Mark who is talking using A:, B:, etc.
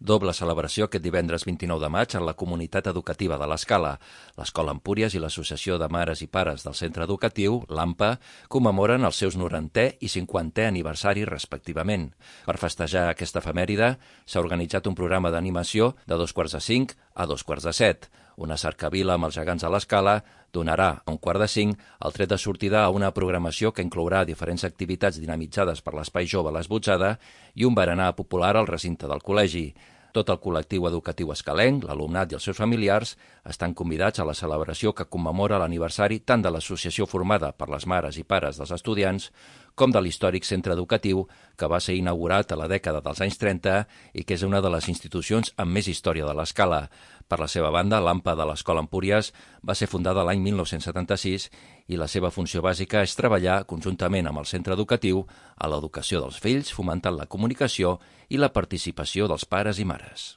A: Doble celebració aquest divendres 29 de maig en la comunitat educativa de l'Escala. L'Escola Empúries i l'Associació de Mares i Pares del Centre Educatiu, l'AMPA, commemoren els seus 90è i 50è aniversari respectivament. Per festejar aquesta efemèride s'ha organitzat un programa d'animació de 2:45 a 2:45. Una cercavila amb els gegants a l'Escala donarà a 1:45 el tret de sortida a una programació que inclourà diferents activitats dinamitzades per l'Espai Jove a l'Esbotzada i un berenar popular al recinte del col·legi. Tot el col·lectiu educatiu escalenc, l'alumnat i els seus familiars estan convidats a la celebració que commemora l'aniversari tant de l'associació formada per les mares i pares dels estudiants com de l'històric centre educatiu que va ser inaugurat a la dècada dels anys 30 i que és una de les institucions amb més història de l'Escala. Per la seva banda, l'AMPA de l'Escola Empúries va ser fundada l'any 1976 i la seva funció bàsica és treballar conjuntament amb el centre educatiu a l'educació dels fills, fomentant la comunicació i la participació dels pares i mares.